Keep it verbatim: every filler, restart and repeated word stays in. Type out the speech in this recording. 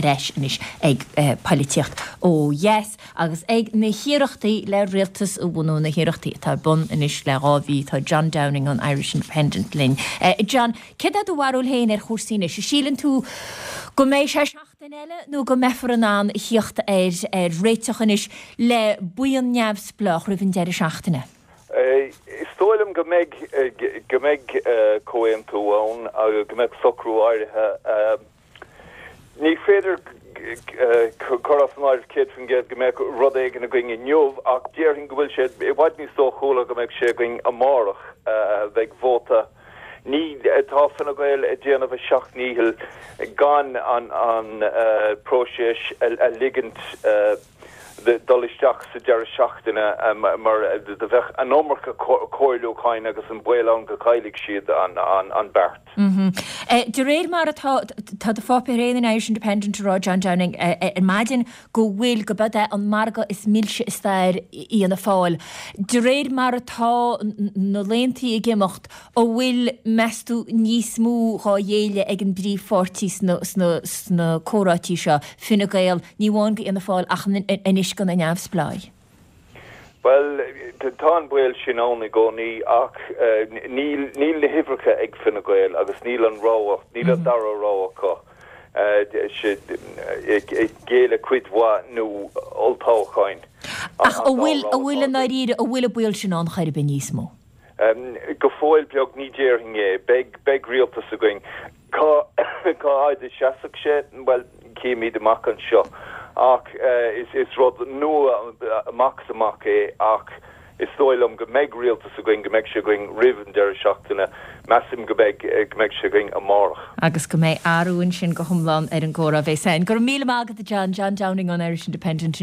ar ais anois ag eh, polaitíocht ó dheas agus ag na hiarrachtaí le rialtas a bhunú na hiarrachtaí atá ar bun anois le dhá mhí tá John Downing an Irish Independent linn. Eh, John, céard é do bharúil féin ar chúrsaí anois, síleann tú go mbeidh sé seachtain eile nó go mbeifear in ann theacht ar ar réiteach anois le buíon neamhspleách roimh an deireadh seachtaine. Is dóigh liom go mbeidh go mbeidh comhaontú ann agus go mbeidh socrú áirithe. Ní féidir cur as an áireamh céad faoin gcéad go mbeidh rud éigin againn inniu ach déarfainn go bhfuil sé i bhfad níos dóchúla go mbeidh sé againn amárach bheidh vóta. Ní tá Fine Gael ag déanamh a seacht ndícheall gan an an próiseas a ligint dul isteach sa deireadh seachtaine mar do bheadh an iomarca comhairliúcháin agus an baol ann go gcaillfidh siad an an an beart. De réir mar atá tá do pháipéar féin an Irish Independent a rá John Downing ar maidin go bhfuil go b'é an margadh is milse i stair Fhianna Fáil. De réir mar atá na laethanta ag imeacht an bhfuil meas tú níos mó dhá ghéilleadh ag an bpríomhpháirtí sna comhráití seo Fine Gael ní amháin go Fhianna Fáil ach anois go na neamhspleáigh. Well tá an baol sin ann i gcónaí ach níl níl na huimhreacha ag Fine Gael agus níl an rogha níl an dara rogha acu géilleadh cuid mhaith nó olltoghcháin. Ach an bhfuil an bhfuil an áiríre an bhfuil an baol sin ann chor ar bith níos mó. Go fóill beag ní déarfainn é, beidh beidh rialtas againn. Cá cá fhad a seasfaidh sé well cífimid amach anseo ach is is rud nua amach is amach é ach is dóigh liom go mbeidh rialtas againn go mbeidh sé againn roimh an deireadh seachtaine measaim go mbeidh go mbeidh sé againn amárach. Agus go mbeidh athrú ansin go hiomlán ar an gcomhrá bheidh san. Go raibh míle maith agat John John Downing on Irish Independent.